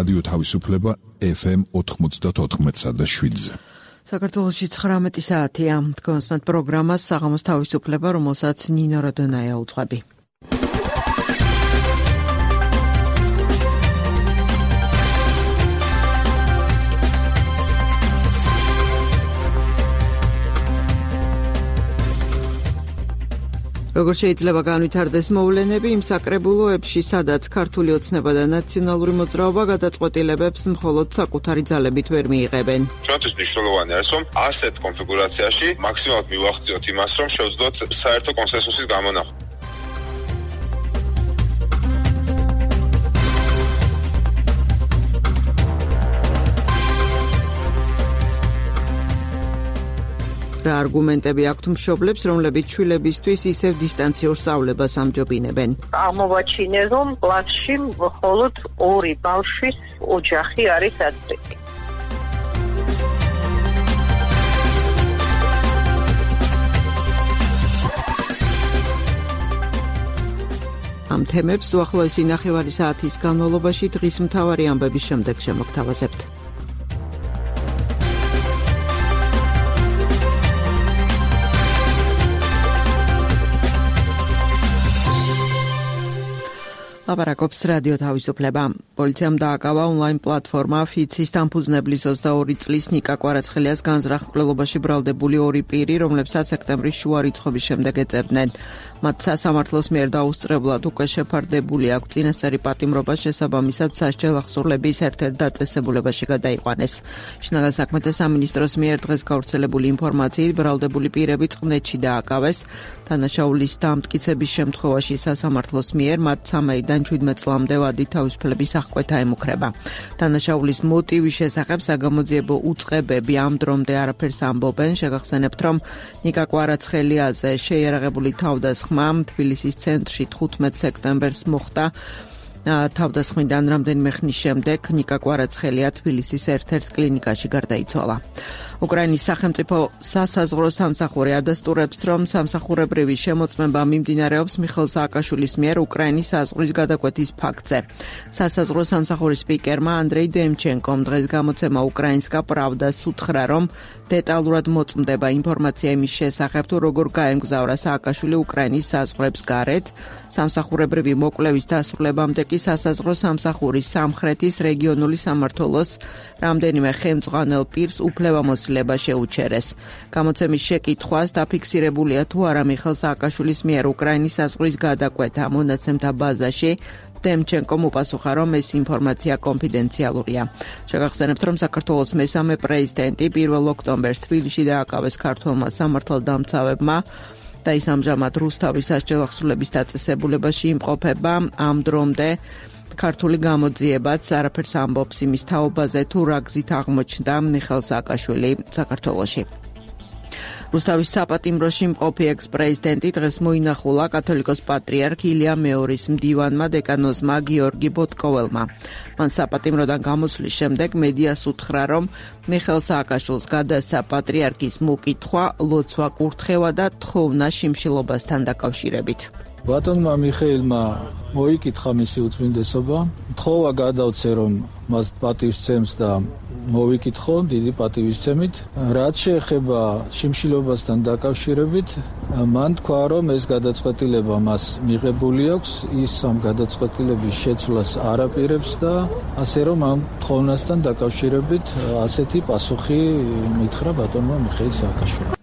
რადიო თავისუფლება FM 94.7-ზე. საქართველოში 19 საათია. თქვენსმეთ პროგრამას საღამოს თავისუფლება, რომელსაც ნინო როდონაია უძღვები. როგორ შეიძლება განვითარდეს მოვლენები იმ საკრებულოებში, სადაც ქართული ოცნება და ნაციონალური მოძრაობა გადაწყვეტილებებს მხოლოდ საკუთარი ძალებით ვერ მიიღებენ. ჩვენთვის მნიშვნელოვანი არის, რომ ასეთ კონფიგურაციაში მაქსიმალურად მივახციოთ იმას, რომ შევძლოთ საერთო კონსენსუსის გამონახვა. რა არგუმენტები აქვთ მშობლებს, რომლებიც შვილებისთვის ისევ დისტანციურ სწავლებას ამჯობინებენ? აღმოვაჩინე, რომ კლასში მხოლოდ 2 ბავშვის ოჯახი არის ადრეთი. ამ თემებს უახლოესი ნახევარი საათის განმავლობაში დღის მთავარი ამბების შემდეგ შემოგთავაზებთ. ლაპარაკობს რადიო თავისუფლება. პოლიციამ დააკავა ონლაინ პლატფორმა ფიცის დამფუძნებლის 22 წლის ნიკა კვარაცხელიას განზრახ მკვლელობაში ბრალდებული 2 პირი, რომლებსაც სექტემბრის შუა რიცხვების შემდეგ ეწევდნენ. მათ სასამართლოს მიერ დაუსწრებლად უკვე შეფარდებული აქვს წინასწარი პატიმრობა, შესაბამისად სასჯელ ახსურლების ერთ-ერთ დაწესებულებაში გადაიყვანეს. შინაგან საქმეთა სამინისტროს მიერ დღეს გავრცელებული ინფორმაციით ბრალდებული პირები წყნეთში დააკავეს. დანაშაულის დამტკიცების შემთხვევაში სასამართლოს მიერ მათ 3-დან 17 წლამდე ვადი თავისუფლების აღკვეთა ემუქრება. დანაშაულის მოტივის შესახებ საგამოძიებო უწყებები ამ დრომდე არაფერს ამბობენ. შეგახსენებთ, რომ ნიკა კვარაცხელიაზე შეიარაღებული თავდასხმა თბილისის ცენტრში 15 სექტემბერს მოხდა. თავდასხმიდან რამდენიმე ხნის შემდეგ ნიკა კვარაცხელია თბილისის ერთ-ერთ კლინიკაში გარდაიცვალა. უკრაინის სახელმწიფო სასაზღვრო სამსახური ადასტურებს, რომ სამსახურებრივი შემოწმება მიმდინარეობს მიხეილ სააკაშვილის მიერ უკრაინის საზღვრის გადაკვეთის ფაქტზე. სასაზღვრო სამსახურის სპიკერმა ანდრეი დემჩენკომ დღეს გამოცემა უკრაინსკა პრავდას უთხრა, რომ დეტალურად მოწმდება ინფორმაცია იმის შესახებ, თუ როგორ გაემგზავრა სააკაშვილი უკრაინის საზღვრებს გარეთ. სამსახურებრივი მოკვლევის დასრულებამდე კი სასაზღვრო სამსახურის სამხრეთის რეგიონული სამმართველოს რამდენიმე ხელმძღვანელ პირს უფლებამოსილება შეუჩერეს. გამოცემის შეკითხვას დაფიქსირებულია თუ არა მიხეილ სააკაშვილის მიერ უკრაინის საზღვრის გადაკვეთა მონაცემთა ბაზაში. დემჩენკომ უპასუხა, რომ ეს ინფორმაცია კონფიდენციალურია. შეგახსენებთ, რომ საქართველოს მესამე პრეზიდენტი 1 ოქტომბერს თბილისში დააკავეს ქართველმა სამართალდამცავებმა და ის ამჟამად რუსთავის სასჯელ ახსურლების დაწესებულებაში იმყოფება. ამ დრომდე ქართული გამოძიებაც არაფერს ამბობს იმის თაობაზე, თუ რა გზით აღმოჩნდა მიხეილ სააკაშვილი საქართველოში. რუსთავის საპატიმროში მყოფი ექს-პრეზიდენტი დღეს მოინახულა კათოლიკოს პატრიარქ ილია მეორის მდივანმა დეკანოზმა გიორგი ბოტკოველმა. მან საპატიმროდან გამოსვლის შემდეგ მედიას უთხრა, რომ მიხეილ სააკაშვილს გადასცა პატრიარქის მოკითხვა, ლოცვა კურთხევა და თხოვნა შიმშილობასთან დაკავშირებით. ბატონმა მიხეილმა მოიკითხა მისი უწმინდესობა, თხოვა გადავცე, რომ მას პატივისცემს და მოვიკითხო დიდი პატივისცემით. რაც შეეხება შიმშილობასთან დაკავშირებით, მან თქვა, რომ ეს გადაწყვეტილება მას მიღებული აქვს, ის ამ გადაწყვეტილების შეცვლას არ აპირებს და ასე რომ ამ თხოვნასთან დაკავშირებით ასეთი პასუხი მითხრა ბატონმა მიხეილ სააკაშვილმა.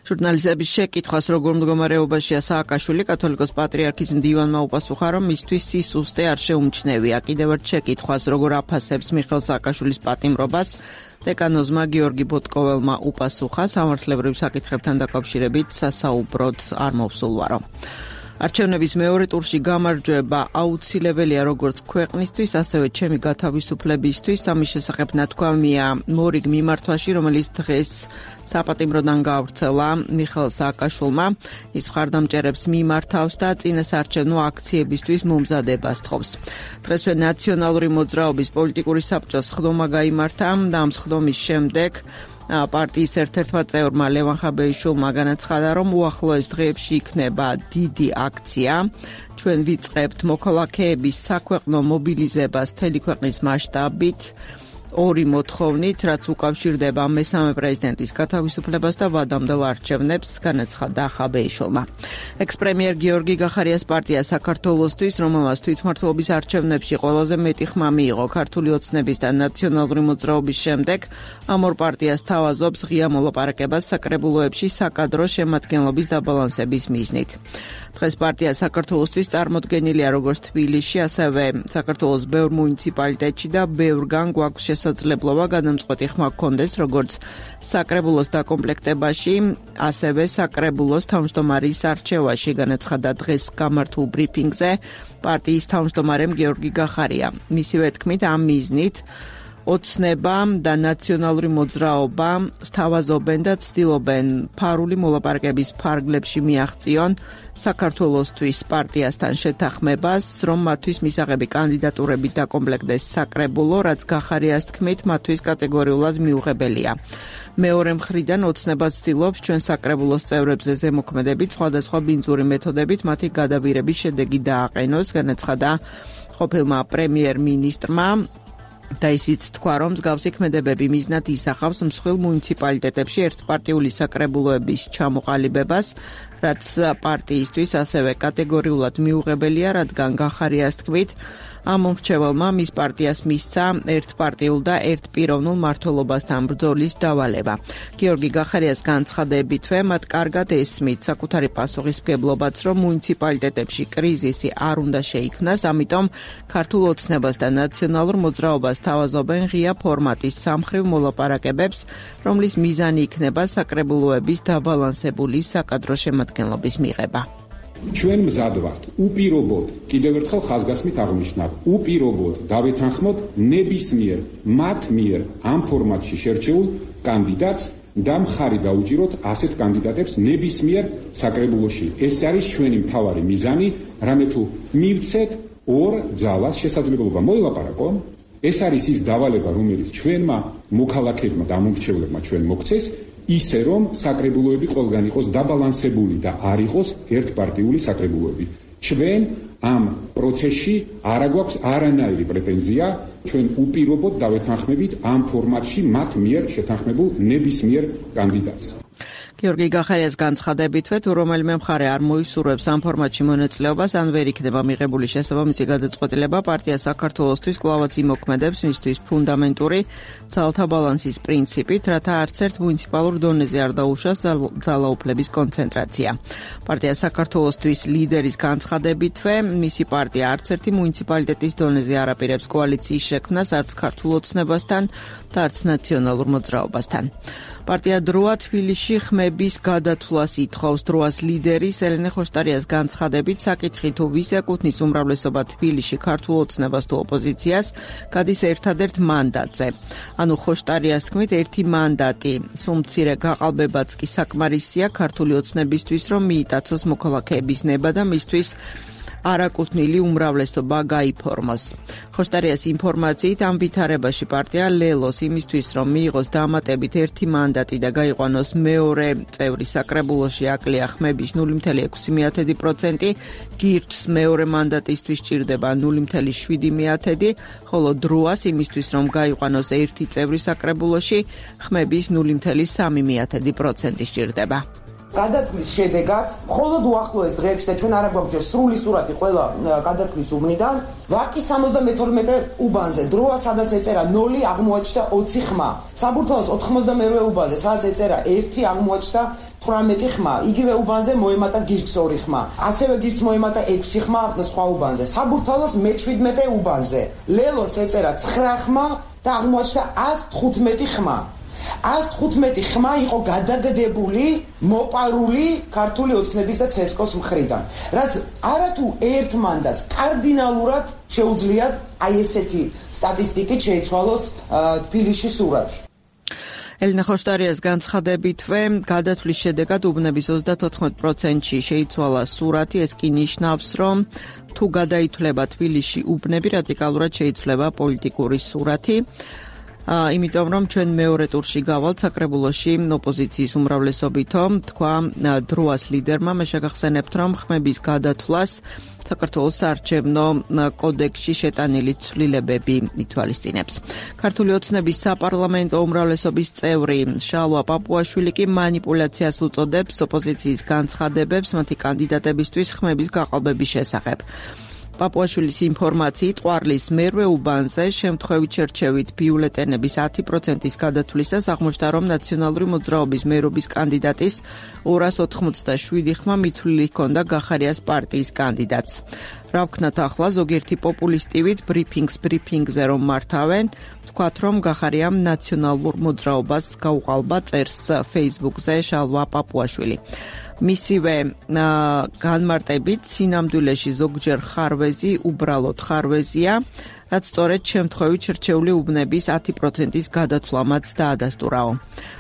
ჟურნალისტების შეკითხვას, როგორ მდგომარეობაშია სააკაშვილი, კათოლიკოს პატრიარქის მდივანმა უპასუხა, რომ მისთვის სისუსტე არ შეუმჩნევია. კიდევ ერთ შეკითხვას, როგორ აფასებს მიხეილ სააკაშვილის პატიმრობას, დეკანოზმა გიორგი ბოტკოველმა უპასუხა, სამართლებრივ საკითხებთან დაკავშირებით სასაუბროდ არ მოვსულვარო. არჩევნების მეორე ტურში გამარჯვება აუცილებელია როგორც ქვეყნისთვის, ასევე ჩემი გათავისუფლებისთვის. ამის შესახებ ნათქვამია მორიგ მიმართვაში, რომელიც დღეს საპატიმროდან გავრცელა მიხეილ სააკაშვილმა. ის მხარდამჭერებს მიმართავს და წინასაარჩევნო აქციებისთვის მომზადებას თხოვს. დღესვე ნაციონალური მოძრაობის პოლიტიკური საბჭოს სხდომა გაიმართა და ამ სხდომის შემდეგ პარტიის ერთ-ერთმა წევრმა ლევან ხაბეიშვილმა განაცხადა, რომ უახლოეს დღეებში იქნება დიდი აქცია. ჩვენ ვიწყებთ მოქალაქეების საქვეყნო მობილიზებას მთელი ქვეყნის მასშტაბით. ორი მოთხოვნით, რაც უკავშირდება მესამე პრეზიდენტის გათავისუფლებას და ვადამდელ არჩევნებს, განაცხადა ხაბეიშვილმა. ექს-პრემიერ გიორგი გახარიას პარტია საქართველოსთვის, რომელმაც თვითმმართველობის არჩევნებში ყველაზე მეტი ხმა მიიღო ქართული ოცნების და ნაციონალური მოძრაობის შემდეგ, ამ ორ პარტიას თავაზობს ღია მოლაპარაკებას საკრებულოებში საკადრო შემადგენლობის დაბალანსების მიზნით. დღეს პარტია საქართველოსთვის წარმოდგენილია როგორც თბილისში, ასევე საქართველოს ბევრ მუნიციპალიტეტში და ბევრგან გვაქვს შესაძლებლობა გადამწყვეტი ხმა გქონდეს როგორც საკრებულოს დაკომპლექტებაში, ასევე საკრებულოს თავმჯდომარის არჩევაში, განაცხადა დღეს გამართულ ბრიფინგზე პარტიის თავმჯდომარემ გიორგი გახარია. მისივე თქმით, ამ მიზნით ოცნება და ნაციონალური მოძრაობა სთავაზობენ და ცდილობენ ფარული მოლაპარაკების ფარგლებში მიაღწიონ საქართველოსთვის პარტიასთან შეთანხმებას, რომ მათთვის მისაღები კანდიდატურები დაკომპლექტდეს საკრებულო, რაც გახარიას თქმით, მათთვის კატეგორიულად მიუღებელია. მეორე მხრიდან ოცნება ცდილობს ჩვენ საკრებულოს წევრებზე ზემოქმედებით სხვადასხვა ბინძური მეთოდებით მათი გადაბირების შედეგი დააყენოს, განაცხადა ყოფილმა პრემიერ-მინისტრმა. და ისიც თქვა, რომ მსგავსი ქმედებები მიზნად ისახავს მსხვილ მუნიციპალიტეტებში ერთპარტიული საკრებულოების ჩამოყალიბებას, რაც პარტიისთვის ასევე კატეგორიულად მიუღებელია, რადგან გახარიას თქმით, ამ მომრჩეველმა მის პარტიას მისცა ერთპარტიულ და ერთპიროვნულ მმართველობასთან ბრძოლის დავალება. გიორგი გახარიას განცხადებითვე მათ კარგად ესმით საკუთარი პასუხისმგებლობაც, რომ მუნიციპალიტეტებში კრიზისი არ უნდა შეიქმნას, ამიტომ ქართულ ოცნებას და ნაციონალურ მოძრაობას თავაზობენ ღია ფორმატის სამხრივ მოლაპარაკებებს, რომლის მიზანი იქნება საკრებულოების დაბალანსებული საკადრო შემადგენლობის მიღება. ჩვენ მზად ვართ უპირობოდ, კიდევ ერთხელ ხაზგასმით აღნიშნავ, უპირობოდ დავეთანხმოთ ნებისმიერ მათ მიერ ამ ფორმატში შერჩეულ კანდიდატს და მხარი დაუჭიროთ ასეთ კანდიდატებს ნებისმიერ საკრებულოში. ეს არის ჩვენი მთავარი მიზანი, რამე თუ მივცეთ ორ ძალას შესაძლებლობა მოილაპარაკონ, ეს არის ის დავალება, რომელიც ჩვენმა მოქალაქეებმა და ამომრჩევლებმა ჩვენ მოგცეს, ისე რომ საკრებულოები ყველგან იყოს დაბალანსებული და არ იყოს ერთპარტიული საკრებულოები. ჩვენ ამ პროცესში არ აგვაქვს არანაირი პრეტენზია, ჩვენ უპირობოდ დავეთანხმებით ამ ფორმატში მათ მიერ შეთანხმებულ ნებისმიერ კანდიდატს. გიორგი გახარიას განცხადებითვე, თუ რომელიმე მხარე არ მოისურვებს ამ ფორმატში მონაწილეობას, ან ვერ იქნება მიღებული შესაბამისი გადაწყვეტილება, პარტია საქართველოსთვის კვლავაც იმოქმედებს მისთვის ფუნდამენტური ძალთა ბალანსის პრინციპით, რათა არც ერთ მუნიციპალურ დონეზე არ დაუშვას ძალაუფლების კონცენტრაცია. პარტია საქართველოსთვის ლიდერის განცხადებითვე, მისი პარტია არც ერთი მუნიციპალიტეტის დონეზე არ აპირებს კოალიციის შექმნას არც ქართულ ოცნებასთან და არც ნაციონალურ მოძრაობასთან. პარტია დროა თბილისში ხმების გადათვლას ითხოვს. დროას ლიდერის ელენე ხოშტარიას განცხადებით, საკითხი თუ ვის ეკუთვნის უმრავლესობა თბილისში ქართულ ოცნებას თუ ოპოზიციას, გადის ერთადერთ მანდატზე. ანუ ხოშტარიას თქმით, ერთი მანდატი, სულ მცირე გაყალბებაც კი საკმარისია ქართული ოცნებისთვის, რომ მიიტაცოს მოქალაქეების ნება და მისთვის არაკუთვნილი უმრავლესობა გაიფორმოს. ხოშტარიას ინფორმაციით ამ ვითარებაში პარტია ლელოს იმისთვის, რომ მიიღოს დამატებით ერთი მანდატი და გაიყვანოს მეორე წევრი საკრებულოში აკლია ხმების 0.6%, გირჩს მეორე მანდატისთვის ჭირდება 0.7%, ხოლო დროას იმისთვის, რომ გაიყვანოს ერთი წევრი საკრებულოში ხმების 0.3% ჭირდება. გადათვლის შედეგად, მხოლოდ უახლოეს დღეებში და ჩვენ არ აგვაქვს სრული სურათი ყველა გადათვლის უბნიდან, ვაკის 72 უბანზე დროა, სადაც ეწერა 0, აღმოაჩნდა 20 ხმა. საბურთალოს 92 უბანზე, სადაც ეწერა 1, აღმოაჩნდა 18 ხმა. იგივე უბანზე მოემატა გირჩს 2 ხმა. ასევე გირჩს მოემატა 6 ხმა სხვა უბანზე. საბურთალოს მე-17 უბანზე ლელოს ეწერა 9 ხმა და აღმოაჩნდა 115 ხმა. 115 ხმა იყო გადაგდებული, მოპარული ქართული ოცნების და ცესკოს მხრიდან. რაც არათუ ერთ მანდატს კარდინალურად შეუძლიათ აი ესეთი სტატისტიკით შეიცვალოს თბილისში სურათი. ელენე ხოშტარიას განცხადებითვე, გადათვლის შედეგად უბნების 34%-ში შეიცვალა სურათი, ეს კი ნიშნავს, რომ თუ გადაითვლება თბილისში უბნები, რადიკალურად შეიცვლება პოლიტიკური სურათი. იმიტომ რომ ჩვენ მეორე ტურში გავალთ საკრებულოში ოპოზიციის უმრავლესობითო, თქვა დროას ლიდერმა, მე შეგახსენებთ, რომ ხმების გადათვლას საქართველოს საარჩევნო კოდექსში შეტანილი ცვლილებები ითვალისწინებს. ქართული ოცნების საპარლამენტო უმრავლესობის წევრი შალვა პაპუაშვილი კი манипуляციას უწოდებს ოპოზიციის განცხადებებს მათი კანდიდატებისთვის ხმების გაყალბების შესახებ. პაპუაშვილის ინფორმაციით ყვარლის მერვე უბანზე შემთხვევით შერჩევით ბიულეტენების 10%-ის გადათვლისას აღმოჩნდა, რომ ნაციონალური მოძრაობის მერობის კანდიდატის 287 ხმა მითვლილი ჰქონდა გახარიას პარტიის კანდიდატს. რა ვქნათ ახლა ზოგიერთი პოპულისტივით ბრიფინგზე რომ მართავენ, ვთქვათ, რომ გახარიამ ნაციონალურ მოძრაობას გაუყალბა, წერს Facebook-ზე შალვა პაპუაშვილი. მისივე განმარტებით სინამდვილეში ზოგჯერ ხარვეზი უბრალოდ ხარვეზია, რაც სწორედ შემთხვევით შერჩეული უბნების 10%-ის გადათვლამაც დაადასტურაო.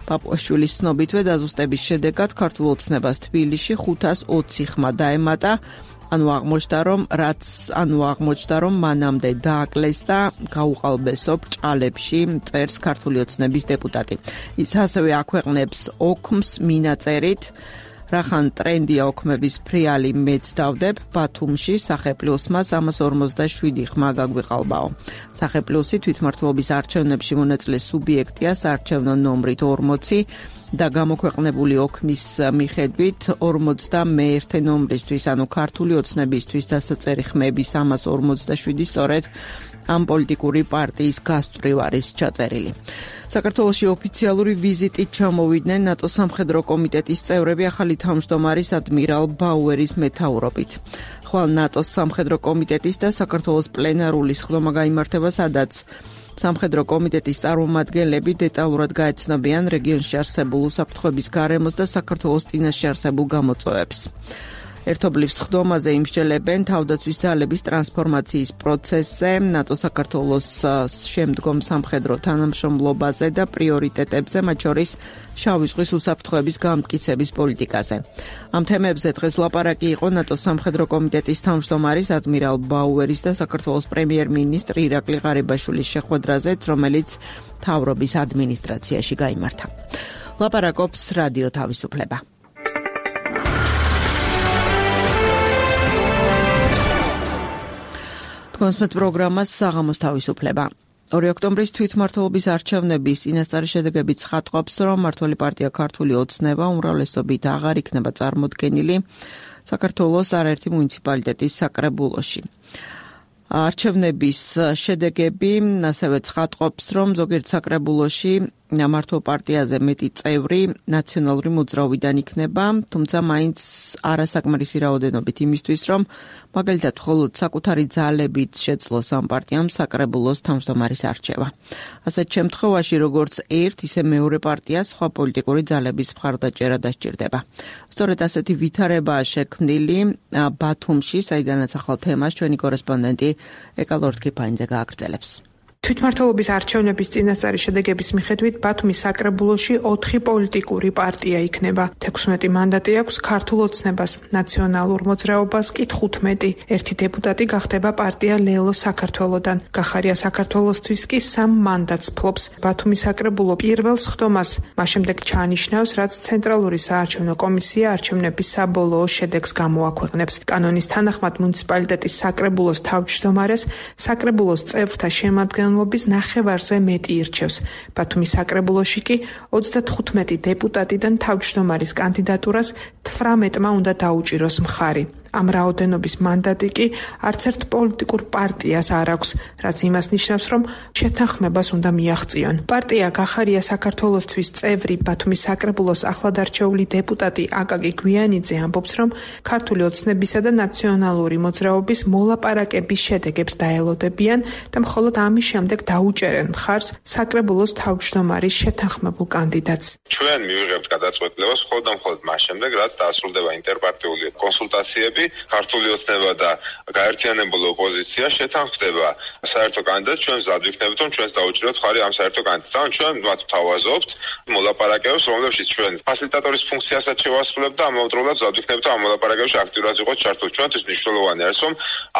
პაპუაშვილის ცნობითვე დაზუსტების შედეგად ქართულ ოცნებას თბილისში 520 ხმა დაემატა, აღმოჩნდა, რომ მანამდე დააკლეს და გაუყალბესო ბრჭყალებში, წერს ქართული ოცნების დეპუტატი. ის ასევე აქვეყნებს ოქმს მინაწერით, რახან ტრენდია ოქმების ფრიალი მეც დავდებ, ბათუმში სახეპლუსმა 347 ხმა გაგვიყალბაო. სახეპლუსი თვითმმართველობის არჩევნებში მონაწილე სუბიექტია საარჩევნო ნომრით 40 და გამოქვეყნებული ოქმის მიხედვით 51 ნომრისთვის, ანუ ქართული ოცნებისთვის დასაწერი ხმები 347 სწორედ ამ პოლიტიკური პარტიის გასწვრივ არის ჩაწერილი. საქართველოში ოფიციალური ვიზიტით ჩამოვიდნენ ნატოს სამხედრო კომიტეტის წევრები ახალი თავმჯდომარის ადმირალ ბაუერის მეთაურობით. ხვალ ნატოს სამხედრო კომიტეტის და საქართველოს პლენარული სხდომა გაიმართება, სადაც სამხედრო კომიტეტის წარმომადგენლები დეტალურად გაეცნობიან რეგიონში არსებულ უსაფრთხოების გარემოს და საქართველოს წინაშე არსებულ გამოწვევებს. ერთობლივ სხდომაზე იმსჯელებენ თავდაცვის ძალების ტრანსფორმაციის პროცესზე, ნატო-საქართველოს შემდგომ სამხედრო თანამშრომლობაზე და პრიორიტეტებზე, მათ შორის შავი ზღვის უსაფრთხოების გამტკიცების პოლიტიკაზე. ამ თემებზე დღეს ლაპარაკი იყო ნატოს სამხედრო კომიტეტის თავმჯდომარის ადმირალ ბაუერის და საქართველოს პრემიერ-მინისტრ ირაკლი ღარიბაშვილის შეხვედრაზეც, რომელიც მთავრობის ადმინისტრაციაში გაიმართა. ლაპარაკობს რადიო თავისუფლება. კონსმეთ პროგრამას საღამოს თავისუფლება. 2 ოქტომბრის თვითმმართველობის არჩევნების წინასწარი შედეგები ცხადყოფს, რომ მმართველი პარტია ქართული ოცნება უმრავლესობით აღარ იქნება წარმოდგენილი საქართველოს არაერთი მუნიციპალიტეტის საკრებულოში. არჩევნების შედეგები ასევე ცხადყოფს, რომ ზოგიერთ საკრებულოში მმართველ პარტიაზე მეტი წევრი ნაციონალური მოძრაობიდან იქნება, თუმცა მაინც არასაკმარისი რაოდენობით იმისთვის, რომ მაგალითად მხოლოდ საკუთარი ძალებით შეძლოს ამ პარტიამ საკრებულოს თავმჯდომარის არჩევა. ასეთ შემთხვევაში როგორც ერთ, ისე მეორე პარტია სხვა პოლიტიკური ძალების მხარდაჭერა დასჭირდება. სწორედ ასეთი ვითარებაა შექმნილი ბათუმში, საიდანაც ახალ თემას ჩვენი კორესპონდენტი ეკა ლორთქიფაინძე გააგრძელებს. თვითმმართველობის არჩევნების წინასწარი შედეგების მიხედვით ბათუმის საკრებულოში 4 პოლიტიკური პარტია იქნება. 16 მანდატი აქვს ქართულ ოცნებას, ნაციონალურ მოძრაობას კი 15. ერთი დეპუტატი გახდება პარტია ლელო საქართველოდან. გახარია საქართველოსთვის კი 3 მანდატს ფლობს. ბათუმის საკრებულო პირველ სხდომას მას შემდეგ ჩაანიშნავს, რაც ცენტრალური საარჩევნო კომისია არჩევნების საბოლოო შედეგს გამოაქვეყნებს. კანონის თანახმად მუნიციპალიტეტის საკრებულოს თავმჯდომარეს საკრებულოს წევრთა შემადგენლობის ნახევარზე მეტი ირჩევს. ბათუმის საკრებულოში კი 35 დეპუტატიდან თავმჯდომარის კანდიდატურას 18-მა უნდა დაუჭიროს მხარი. ამ რაოდენობის მანდატი კი არც ერთ პოლიტიკურ პარტიას არ აქვს, რაც იმას ნიშნავს, რომ შეთანხმებას უნდა მიაღწიონ. პარტია გახარია საქართველოსთვის წევრი ბათუმის საკრებულოს ახლადარჩეული დეპუტატი აკაკი გვიანიძე ამბობს, რომ ქართული ოცნებისა და ნაციონალური მოძრაობის მოლაპარაკების შედეგებს დაელოდებიან და მხოლოდ ამის შემდეგ დაუჭერენ მხარს საკრებულოს თავმჯდომარის შეთანხმებულ კანდიდატს. ჩვენ მივიღებთ გადაწყვეტილებას მხოლოდ ამ მას შემდეგ, რაც დაასრულდება ინტერპარტიული კონსულტაციები კანდიდატები, ქართული ოცნება და გაერთიანებული ოპოზიცია შეთანხმდება საერთო კანდიდატს, ჩვენ მზად ვიქნებით, რომ ჩვენს დაუჭიროთ ხარი ამ საერთო კანდიდატს. ან ჩვენ მათ ვთავაზობთ მოლაპარაკებებს, რომლებშიც ჩვენ ფასილიტატორის ფუნქციასაც შევასრულებთ და ამავდროულად მზად ვიქნებით, რომ ამ მოლაპარაკებებში აქტიურად ვიყოთ ჩართული. ჩვენთვის მნიშვნელოვანი არის, რომ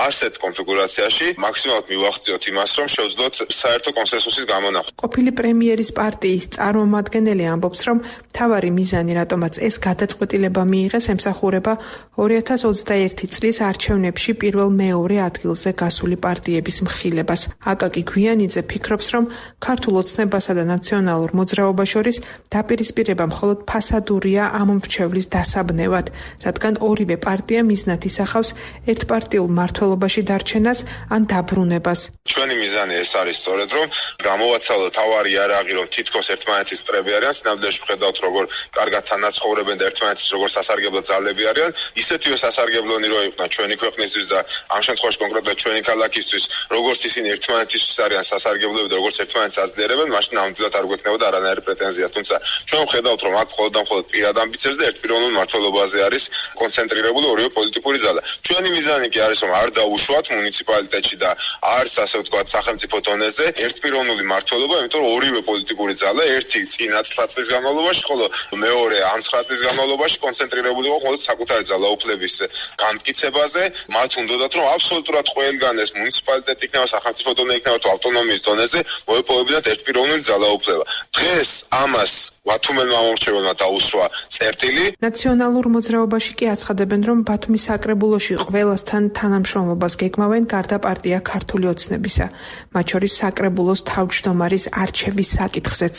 ასეთ კონფიგურაციაში მაქსიმალურად მივახციოთ იმას, რომ შევძლოთ საერთო კონსენსუსის გამონახვა. ყოფილი პრემიერის პარტიის წარმომადგენელი ამბობს, რომ მთავარი მიზანი, რატომაც ეს გადაწყვეტილება მიიღეს, ემსახურება 2021 წლის არჩევნებში პირველ-მეორე ადგილზე გასული პარტიების მხილებას. აკაკი გვიანიძე ფიქრობს, რომ ქართულ ოცნებასა და ნაციონალურ მოძრაობას შორის დაპირისპირება მხოლოდ ფასადურია ამ მრჩევლის დასაბნევად, რადგან ორივე პარტია მიზნად ისახავს ერთპარტიულ მმართველობაში დარჩენას ან დაბრუნებას. ჩვენი მიზანი ეს არის სწორედ, რომ გამოვაცალოთ თავარი იარაღი, რომ თითქოს ერთმანეთის მტრები არიან, სინამდვილეში ვხედავთ, როგორ კარგად თანაცხოვრებენ და ერთმანეთის როგორ სასარგებლო ძალები არიან, ისეთივე სასარგებლონი რო იყვნენ ჩვენი ქვეყნისთვის და ამ შემთხვევაში კონკრეტულად ჩვენი ქალაქისთვის, როგორც ისინი ერთმანეთისთვის არიან სასარგებლოები და როგორც ერთმანეთს აძლიერებენ, მაშინ ნამდვილად არ გვექნებოდა არანაირი პრეტენზია. თუმცა ჩვენ ვხედავთ, რომ აქ მხოლოდ და მხოლოდ პირად ამბიციებს და ერთპიროვნულ მმართველობაზე არის კონცენტრირებული ორივე პოლიტიკური ძალა. ჩვენი მიზანი კი არის, რომ არ დაუშვათ მუნიციპალიტეტში და არც ასე ვთქვათ სახელმწიფო დონეზე ერთპიროვნული მმართველობა, იმიტომ რომ ორივე პოლიტიკური ძალა ერთი წინა 9 წლის განმავლობაში, ხოლო მეორე ამ 9 წლის განმავლობაში კონცენტრირებული იყო მხოლოდ საკუთარი ძალაუფლების განმტკიცებაზე. მათ უნდათ, რომ აბსოლუტურად ყველგან ეს მუნიციპალიტეტი იქნება, სახელმწიფო დონე იქნება თუ ავტონომიის დონეზე მოეპოვებინათ ერთპიროვნული ძალაუფლება. დღეს ამას ვათუმელმა ამორჩეველმა დაუსვა წერტილი. ნაციონალურ მოძრაობაში კი აცხადებენ, რომ ბათუმის საკრებულოში ყველასთან თანამშრომლობას გეგმავენ გარდა პარტია ქართული ოცნებისა, მათ შორის საკრებულოს თავმჯდომარის არჩევის საკითხზეც.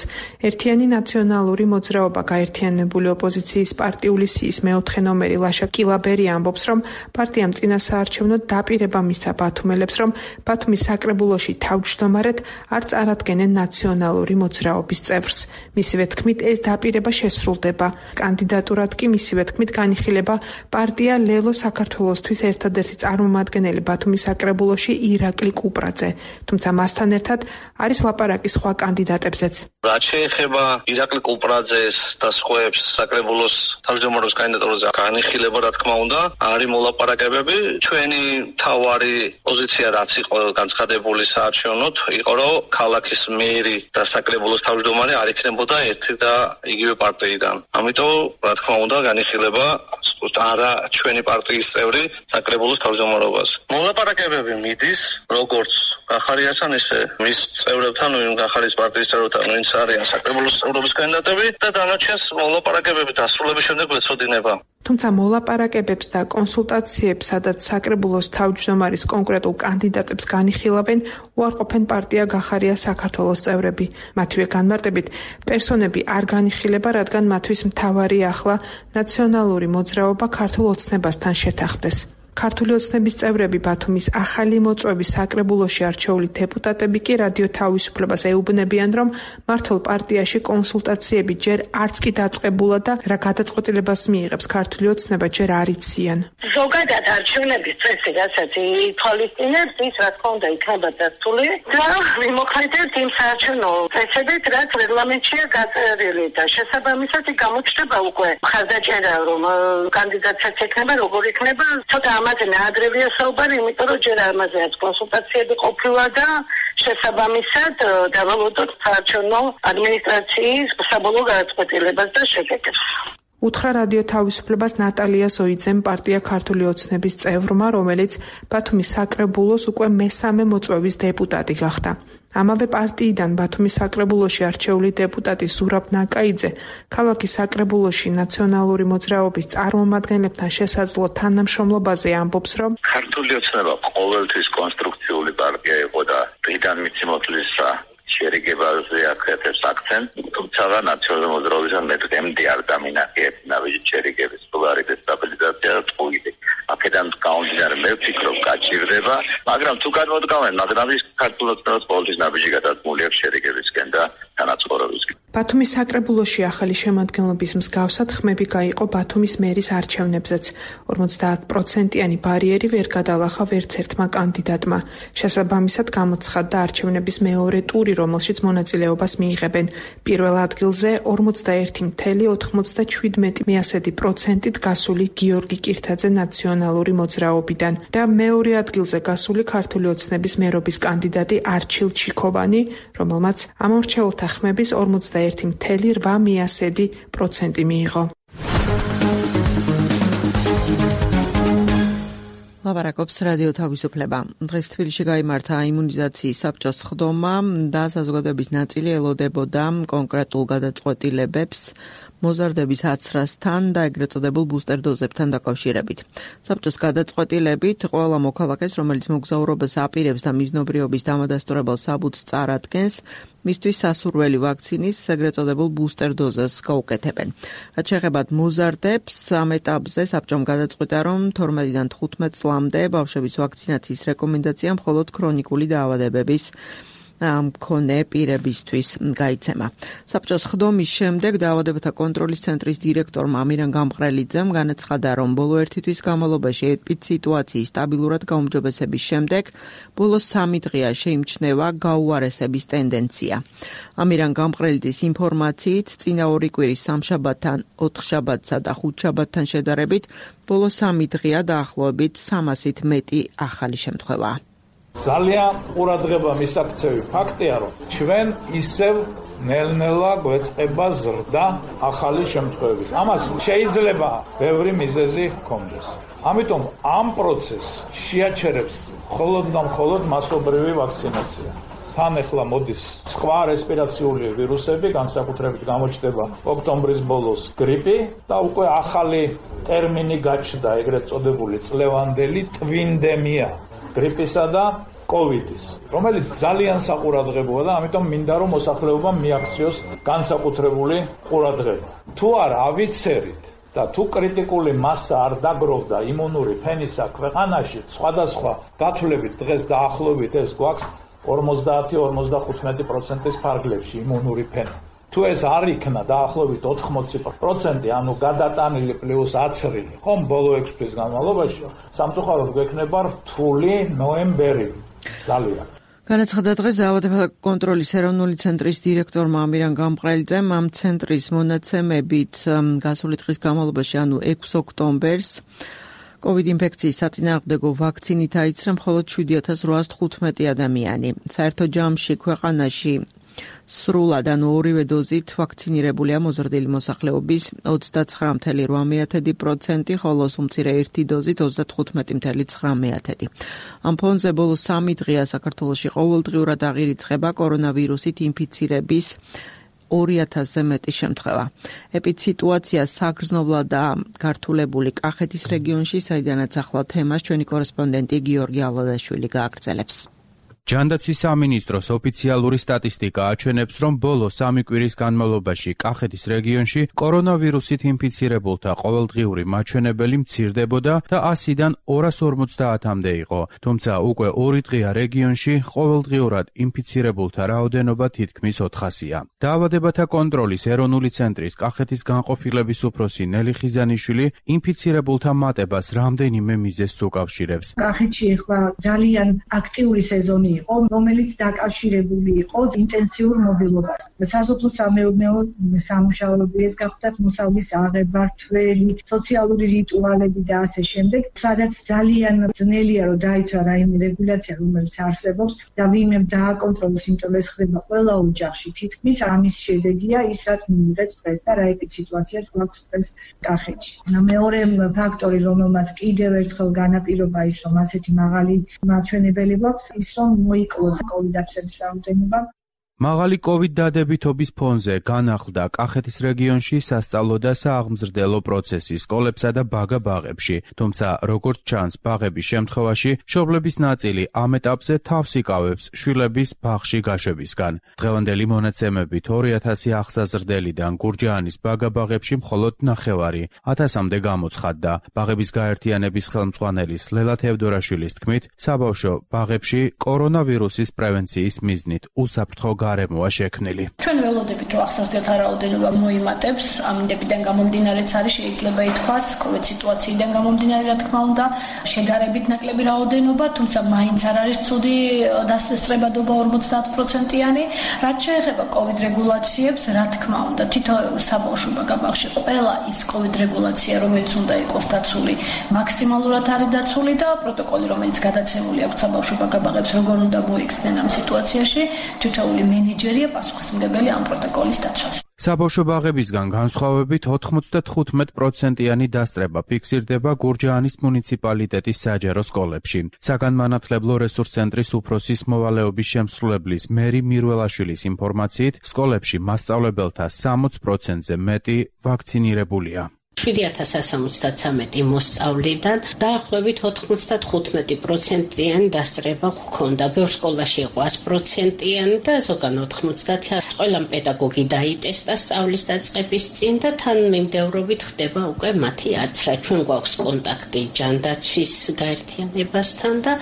ერთიანი ნაციონალური მოძრაობა გაერთიანებული ოპოზიციის პარტიული სიის მეოთხე ნომერი ლაშა კილაბერი ამბობს, რომ პარტიამ წინა საარჩევნოდ დაპირება მისცა ბათუმელებს, რომ ბათუმის საკრებულოში თავმჯდომარედ არ წარადგენენ ნაციონალური მოძრაობის წევრს. მისივე თქმით, ეს დაპირება შესრულდება. კანდიდატურად კი მისივე თქმით განიხილება პარტია ლელო საქართველოსთვის ერთადერთი წარმომადგენელი ბათუმის საკრებულოში ირაკლი კუპრაძე, თუმცა მასთან ერთად არის ლაპარაკი სხვა კანდიდატებზეც. რაც შეეხება ირაკლი კუპრაძეს და სხვებს საკრებულოს თავმჯდომარის კანდიდატურაზე განიხილება, რა თქმა უნდა, არის მოლაპარაკებები. ჩვენი თავარი პოზიცია რაც იყო განცხადებული საარჩევნოდ, იყო რომ ქალაქის მერი და საკრებულოს თავმჯდომარე არ იქნებოდა ერთი და იგივე პარტიიდან. ამიტომ, რა თქმა უნდა, განიხილება არა ჩვენი პარტიის წევრი საკრებულოს თავმჯდომარობას. მოლაპარაკებები მიდის როგორც გახარიასთან, ისე მის წევრებთან, გახარიის პარტიის წევრებთან, ვინც არიან საკრებულოს წევრობის კანდიდატები და დანარჩენს მოლაპარაკებები დასრულების შემდეგ ეწოდინება. თუმცა მოლაპარაკებებს და კონსულტაციებს, სადაც საკრებულოს თავმჯდომარის კონკრეტულ კანდიდატებს განიხილავენ, უარყოფენ პარტია გახარია საქართველოს წევრები. მათივე განმარტებით, პერსონები არ განიხილება, რადგან მათთვის მთავარი ახლა ნაციონალური მოძრაობა ქართულ ოცნებასთან შეთანხმდეს. ქართული ოცნების წევრები ბათუმის ახალი მოწვევის საკრებულოში არჩეული დეპუტატები კი რადიო თავისუფლებას ეუბნებიან, რომ მართლ პარტიაში კონსულტაციები ჯერ არც კი დაწყებულა და რა გადაწყვეტილებას მიიღებს ქართული ოცნება ჯერ არ იციან. ზოგადად არჩევნების წესი, რასაც ითვალისწინებს, ის რა თქმა უნდა იქნება დასწული და მიმოხილეთ იმ საარჩევნო წესებით, რაც რეგლამენტშია გაწერილი და შესაბამისად გამოჩნდება უკვე ხარდაჭერა, რომ კანდიდატსაც ექნება, როგორ იქნება, ცოტა ამაზე ნაადრევია საუბარი, იმიტომ რომ ჯერ ამაზეაც კონსულტაციები ყოფილა და შესაბამისად დავალოდოთ საარჩევნო ადმინისტრაციის საბოლოო გადაწყვეტილებას და შედეგებს. უთხრა რადიო თავისუფლებას ნატალია ზოიძემ პარტია ქართული ოცნების წევრმა, რომელიც ბათუმის საკრებულოს უკვე მესამე მოწვევის დეპუტატი გახდა. ამავე პარტიიდან ბათუმის საკრებულოში არჩეული დეპუტატი ზურაბ ნაკაიძე ქალაქის საკრებულოში ნაციონალური მოძრაობის წარმომადგენლებთან შესაძლო თანამშრომლობაზე ამბობს, რომ ქართული ოცნება ყოველთვის კონსტრუქციული პარტია იყო და დღიდან მიცემოთლის შერიგებაზე აკეთებს აქცენტს, თუმცა ნაციონალური მოძრაობისგან მეტყემდი არ დამინახეთ შერიგების პოლარი და სტაბილიზაცია და წყვილი. აქედან გამომდინარე მე ვფიქრობ გაჭირდება, მაგრამ თუ გადმოდგავენ, მაგრამ ის ქართულ ოცნებას ყოველთვის ნაბიჯი გადადგმული აქვს შერიგებისკენ და თანაცხოვრებისკენ. ბათუმის საკრებულოში ახალი შემადგენლობის მსგავსად ხმები გაიყო ბათუმის მერის არჩევნებზეც. 50%-იანი ბარიერი ვერ გადალახა ვერც ერთმა კანდიდატმა. შესაბამისად გამოცხადდა არჩევნების მეორე ტური, რომელშიც მონაწილეობას მიიღებენ. პირველ ადგილზე 41.97%-ით გასული გიორგი კირთაძე ნაციონალური მოძრაობიდან და მეორე ადგილზე გასული ქართული ოცნების მერობის კანდიდატი არჩილ ჩიქოვანი, რომელმაც ამორჩეულთა ხმების 41.8% მიიღო. ლაპარაკობს რადიო თავისუფლება. დღეს თბილისში გაიმართა იმუნიზაციის საბჭოს სხდომა და საზოგადოების ნაწილი ელოდებოდა კონკრეტულ გადაწყვეტილებებს მოზარდების აცრასთან და ეგრეთ წოდებულ ბუსტერ დოზებთან დაკავშირებით. საბჭოს გადაწყვეტილებით ყველა მოქალაქეს, რომელიც მოგზაურობას აპირებს და მიზნობრიობის დამადასტურებელ საბუთს წარადგენს, მისთვის სასურველი ვაქცინის ეგრეთ წოდებულ ბუსტერ დოზას გაუკეთებენ. რაც შეეხება მოზარდებს, ამ ეტაპზე საბჭომ გადაწყვიტა, რომ 12-დან 15 წლამდე ბავშვების ვაქცინაციის რეკომენდაცია მხოლოდ ქრონიკული დაავადებების მქონე პირებისთვის გაიცემა. საბჭოს ხდომის შემდეგ დაავადებათა კონტროლის ცენტრის დირექტორმა ამირან გამყრელიძემ განაცხადა, რომ ბოლო ერთი თვის განმავლობაში ეპიდსიტუაციის სტაბილურად გაუმჯობესების შემდეგ ბოლო 3 დღეა შეიმჩნევა გაუარესების ტენდენცია. ამირან გამყრელიძის ინფორმაციით, წინა 2 კვირის სამშაბათთან, 4 შაბათსა და 5 შაბათთან შედარებით ბოლო 3 დღეა დაახლოებით 300-ით მეტი ახალი შემთხვევაა. ძალიან ყურადღება მისაქცევი ფაქტია, რომ ჩვენ ისევ ნელ-ნელა გვეწყება ზრდა ახალი შემთხვევების. ამას შეიძლება ბევრი მიზეზი ჰქონდეს. ამიტომ ამ პროცესს შეაჩერებს მხოლოდ და მხოლოდ მასობრივი ვაქცინაცია. თან ახლა მოდის სხვა რესპირაციული ვირუსები, განსაკუთრებით გამოჩნდება ოქტომბრის ბოლოს გრიპი და უკვე ახალი ტერმინი გაჩნდა, ეგრეთ წოდებული წლევანდელი ტვინდემია გრიპისა და კოვიდის, რომელიც ძალიან საყურადღებოა და ამიტომ მინდა რომ მოსახლეობამ მიაქციოს განსაკუთრებული ყურადღება. თუ არ ავიცერით და თუ კრიტიკული მასა არ დაგროვდა იმუნური ფენისა ქვეყანაში, სხვადასხვა დათვლებით დღეს დაახლოებით ეს გვაქვს 50-55%-ის ფარგლებში იმუნური ფენა. თუ ეს არ იქნა დაახლოებით 80%, ანუ გადატანილი პლუს აცრილი, ხომ ბოლო 6 თვის განმავლობაში, სამწუხაროდ გვექნება რთული ნოემბერი. ძალიან. განაცხადა დღეს დაავადებათა კონტროლის ეროვნული ცენტრის დირექტორმა ამირან გამყრელიძემ ამ ცენტრის მონაცემებით გასული დღის განმავლობაში, ანუ 6 ოქტომბერს COVID ინფექციის საწინააღმდეგო ვაქცინით აიცრა მხოლოდ 7815 ადამიანი. საერთო ჯამში ქვეყანაში სრულად, ანუ ორივე დოზით ვაქცინირებულია მოზრდილი მოსახლეობის 39.8%, ხოლო უმცირე ერთი დოზით 35.9%. ამ ფონზე ბოლო 3 დღეა საქართველოში ყოველდღიურად აღირიცხება კორონავირუსით ინფიცირების 2000-ზე მეტი შემთხვევა. ეპიდსიტუაცია საგრძნობლადაა გართულებული კახეთის რეგიონში, საიდანაც ახლა თემას ჩვენი კორესპონდენტი გიორგი ალადაშვილი გააგრძელებს. ჯანდაცვის სამინისტროს ოფიციალური სტატისტიკა აჩვენებს, რომ ბოლო 3 კვირის განმავლობაში კახეთის რეგიონში კორონავირუსით ინფიცირებულთა ყოველდღიური მაჩვენებელი მცირდებოდა და 100-დან 250-მდე იყო. თუმცა უკვე 2 დღეა რეგიონში ყოველდღიურად ინფიცირებულთა რაოდენობა თითქმის 400-ია. დაავადებათა კონტროლის ეროვნული ცენტრის კახეთის განყოფილების უფროსი ნელი ხიზანიშვილი ინფიცირებულთა მატებას რამდენიმე მიზეზს უკავშირებს. კახეთში ახლა ძალიან აქტიური სეზონი იყო, რომელიც დაკავშირებული იყო ინტენსიურ მობილობას. სასოფლო-სამეურნეო სამუშაოების გახდათ მოსავლის აღება, რთველი, სოციალური რიტუალები და ასე შემდეგ, სადაც ძალიან ძნელია რომ დაიცვა რაიმე რეგულაცია, რომელიც არსებობს და ვინმე დააკონტროლოს, იმიტომ ეს ხდება ყველა ოჯახში. თითქმის ამის შედეგია ის, რაც მიიღეს დღეს და რა ეპიდსიტუაციას გვაქვს დღეს კახეთში. მეორე ფაქტორი, რომელმაც კიდევ ერთხელ განაპირობა ის, რომ ასეთი მაღალი მაჩვენებელი გვაქვს, ის რომ მოიკლოდა კოვიდაცების რაოდენობა. მაღალი COVID დადებითობის ფონზე განახლდა კახეთის რეგიონში სასწავლო და სააღმზრდელო პროცესი სკოლებსა და ბაგა-ბაღებში, თუმცა როგორც ჩანს, ბაღების შემთხვევაში მშობლების ნაწილი ამ ეტაპზე თავს იკავებს შვილების ბაღში გაშვებისგან. დღევანდელი მონაცემებით 2000 აღსაზრდელიდან გურჯაანის ბაგა-ბაღებში მხოლოდ 9 1000-მდე გამოცხადდა. ბაღების გაერთიანების ხელმძღვანელის ლელა თევდორაშვილის თქმით, საბავშვო ბაღებში კორონავირუსის პრევენციის მიზნით უსაფრთხო გარემოა შექმნილი. ჩვენ ველოდებით რომ ახსოვდეთ რაოდენობა მოიმატებს, ამინდებიდან გამომდინარეც არის შეიძლება ითქვას, COVID სიტუაციიდან გამომდინარე რა თქმა უნდა, შედარებით ნაკლები რაოდენობა, თუმცა მაინც არ არის ცუდი დასწრებადობა 50%-იანი. რაც შეეხება COVID რეგულაციებს, რა თქმა უნდა, თითოეულ საბავშვო ბაგაბაღში ყველა ის COVID რეგულაცია, რომელიც უნდა იყოს დაცული, მაქსიმალურად არის დაცული და პროტოკოლი, რომელიც გადაცემული აქვს საბავშვო ბაგაბაღებს, როგორ უნდა მოიქცნენ ამ სიტუაციაში, თითოეული მენეჯერია პასუხისმგებელი ამ პროტოკოლის დაცვას. საბავშვო ბაღებისგან განსხვავებით 95%-იანი დასწრება ფიქსირდება გურჯაანის მუნიციპალიტეტის საჯარო სკოლებში. საგანმანათლებლო რესურს ცენტრის უფროსის მოვალეობის შემსრულებლის მერი მირველაშვილის ინფორმაციით, სკოლებში მასწავლებელთა 60%-ზე მეტი ვაქცინირებულია. 7173 მოსწავლიდან დაახლოებით 95%-იანი დასწრება ჰქონდა. ბევრ სკოლაში იყო 100%-იანი და ზოგან 90%. ყველა პედაგოგი დაიტესტა სწავლის დაწყების წინ და თანმიმდევრობით ხდება უკვე მათი აცრა. ჩვენ გვაქვს კონტაქტი ჯანდაცვის გაერთიანებასთან და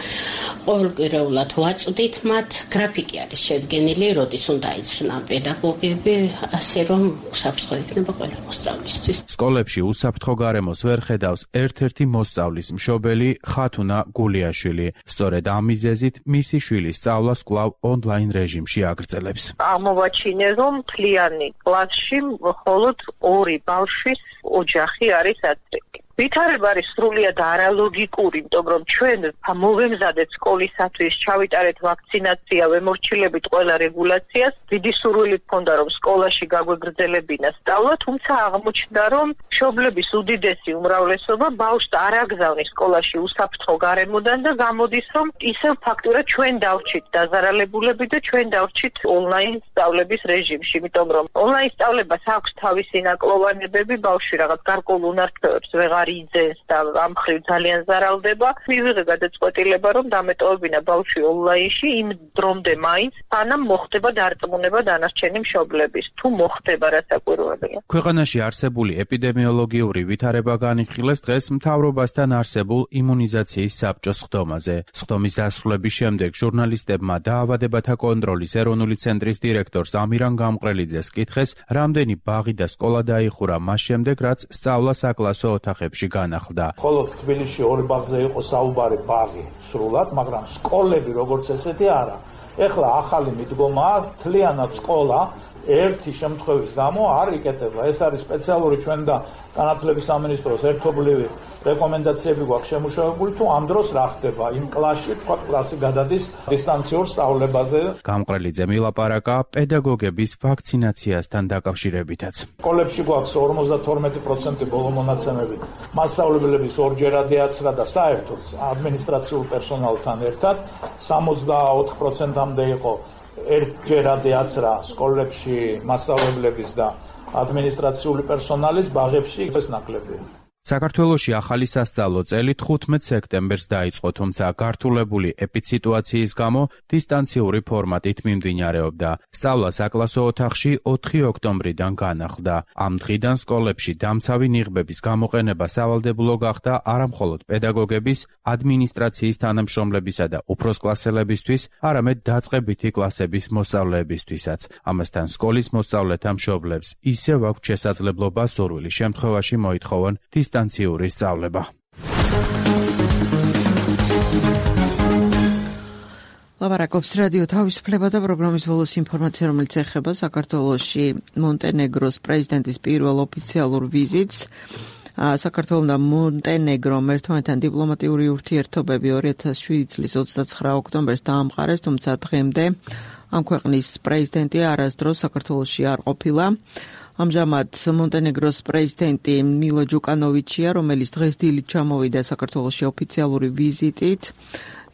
ყოველკვირეულად ვაწვდით მათ. გრაფიკი არის შედგენილი, როდის უნდა იცრნან პედაგოგები, ასე რომ უსაფრთხო იქნება ყველა მოსწავლისთვის. სკოლებში უსაფრთხო გარემოს ვერ ხედავს ერთ-ერთი მოსწავლის მშობელი ხათუნა გულიაშვილი. სწორედ ამ მიზეზით მისი შვილის სწავლას კვლავ ონლაინ რეჟიმში აგრძელებს. აღმოვაჩინე, რომ მთლიანი კლასში მხოლოდ 2 ბავშვის ოჯახი არის აცრიკი. ვითარება არის სრულიად არალოგიკური, იმიტომ რომ ჩვენ მოვემზადეთ სკოლისათვის, ჩავიტარეთ ვაქცინაცია, ვემორჩილებით ყველა რეგულაციას, დიდი სურვილი ჰქონდა რომ სკოლაში გაგვეგრძელებინა სწავლა, თუმცა აღმოჩნდა რომ მშობლების უდიდესი უმრავლესობა ბავშვს არ აგზავნის სკოლაში უსაფრთხო გარემოდან და გამოდის რომ ისევ ფაქტურად ჩვენ დავრჩით დაზარალებულები და ჩვენ დავრჩით ონლაინ სწავლების რეჟიმში, იმიტომ რომ ონლაინ სწავლებას აქვს თავისი ნაკლოვანებები, ბავშვი რაღაც გარკვეულ უნარჩვევებს ვეღარ იძენს და ამ მხრივ ძალიან ზარალდება. მივიღე გადაწყვეტილება რომ დამეტოვებინა ბავშვი ონლაინში იმ დრომდე მაინც, სანამ მოხდება დარწმუნება დანარჩენი მშობლების. თუ მოხდება რასაკვირველია. ქვეყანაში არსებული ეპიდემიოლოგიური ვითარება განიხილეს დღეს მთავრობასთან არსებულ იმუნიზაციის საბჭოს სხდომაზე. სხდომის დასრულების შემდეგ ჟურნალისტებმა დაავადებათა კონტროლის ეროვნული ცენტრის დირექტორს ამირან გამყრელიძეს კითხეს, რამდენი ბაღი და სკოლა დაიხურა მას შემდეგ, რაც სწავლა საკლასო ოთახებში განახლდა. მხოლოდ თბილისში 2 ბაღზე იყო საუბარი ბაღი სრულად, მაგრამ სკოლები როგორც ესეთი არა. ეხლა ახალი მიდგომაა, მთლიანად სკოლა ერთი შემთხვევის გამო არ იკეტება. ეს არის სპეციალური ჩვენ და განათლების სამინისტროს ერთობლივი რეკომენდაციები გვაქვს შემუშავებული, თუ ამ დროს რა ხდება იმ კლასში, თქვა კლასი გადადის დისტანციურ სწავლებაზე. გამყრელიძე მილაპარაკა პედაგოგების ვაქცინაციასთან დაკავშირებითაც. სკოლებში გვაქვს 52% ბოლო მონაცემებით მასწავლებლების ორჯერადი აცრა და საერთოდ ადმინისტრაციულ პერსონალთან ერთად 64%-მდე იყო ერთჯერადი აცრა სკოლებში მასწავლებლების და ადმინისტრაციული პერსონალის, ბაღებში ეს ნაკლებია. საქართველოში ახალი სასწავლო წელი 15 სექტემბერს დაიწყო, თუმცა გართულებული ეპიდსიტუაციის გამო დისტანციური ფორმატით მიმდინარეობდა. სწავლა საკლასო ოთახში 4 ოქტომბრიდან განახლდა. ამ დღიდან სკოლებში დამცავი ნიღბების გამოყენება სავალდებულო გახდა არამხოლოდ პედაგოგების, ადმინისტრაციის თანამშრომლებისა და უფროსკლასელებისთვის, არამედ დაწყებითი კლასების მოსწავლეებისთვისაც. ამასთან სკოლის მოსწავლეთა მშობლებს ისევ აქვთ შესაძლებლობა სურვილის შემთხვევაში მოითხოვონ დისტანციური სწავლება. ლაპარაკობს რადიო თავისუფლება და პროგრამის ბოლოს ინფორმაცია, რომელიც ეხება საქართველოში მონტენეგროს პრეზიდენტის პირველ ოფიციალურ ვიზიტს. საქართველოს და მონტენეგრომ ერთმანეთთან დიპლომატიური ურთიერთობები 2007 წლის 29 ოქტომბერს დაამყარეს, თუმცა დღემდე ამ ქვეყნის პრეზიდენტი არასდროს საქართველოში არ ყოფილა. ამჟამად მონტენეგროს პრეზიდენტი მილო ჯუკანოვიჩია, რომელიც დღეს დილით ჩამოვიდა საქართველოში ოფიციალური ვიზიტით.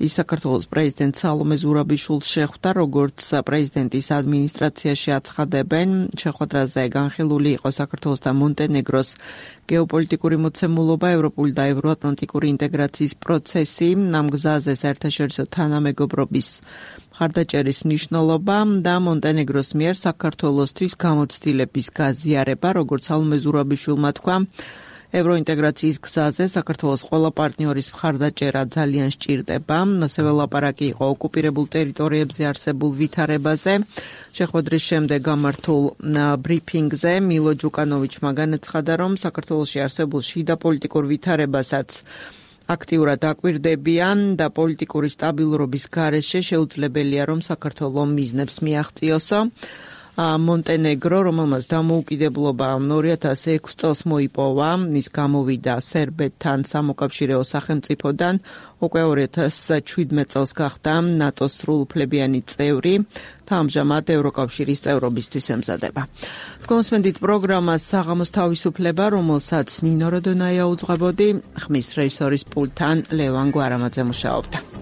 ის საქართველოს პრეზიდენტ სალომე ზურაბიშვილს შეხვდა, როგორც პრეზიდენტის ადმინისტრაციაში აცხადებენ. შეხვედრაზე განხილული იყო საქართველოს და მონტენეგროს გეოპოლიტიკური მოცემულობა, ევროპული და ევროატლანტიკური ინტეგრაციის პროცესი, ამ გზაზე საერთაშორისო თანამეგობრობის მხარდაჭერის მნიშვნელობა და მონტენეგროს მიერ საქართველოსთვის გამოცდილების გაზიარება, როგორც სალომე ზურაბიშვილმა თქვა. ევროინტეგრაციის გზაზე საქართველოს ყველა პარტნიორის მხარდაჭერა ძალიან სჭირდება. ასევე ლაპარაკი იყო ოკუპირებულ ტერიტორიებზე არსებულ ვითარებაზე. შეხვედრის შემდეგ გამართულ ბრიფინგზე მილო ჯუკანოვიჩმა განაცხადა, რომ საქართველოში არსებულ შიდა პოლიტიკურ ვითარებასაც აქტიურად აკვირდებიან და პოლიტიკური სტაბილურობის გარეშე შეუძლებელია, რომ საქართველო მიზნებს მიაღწიოსო. მონტენეგრო, რომელმაც დამოუკიდებლობა 2006 წელს მოიპოვა, ის გამოვიდა სერბეთთან სამოკავშირეო სახელმწიფოდან, უკვე 2017 წელს გახდა ნატოს სრულუფლებიანი წევრი და ამჟამად ევროკავშირის წევრობისთვის ემზადება. კონსმენდით პროგრამას საღამოს თავისუფლება, რომელსაც ნინო როდონაია უძღვებოდი, ხმის რეჟისორის პულტთან ლევან გვარამაძე მუშაობდა.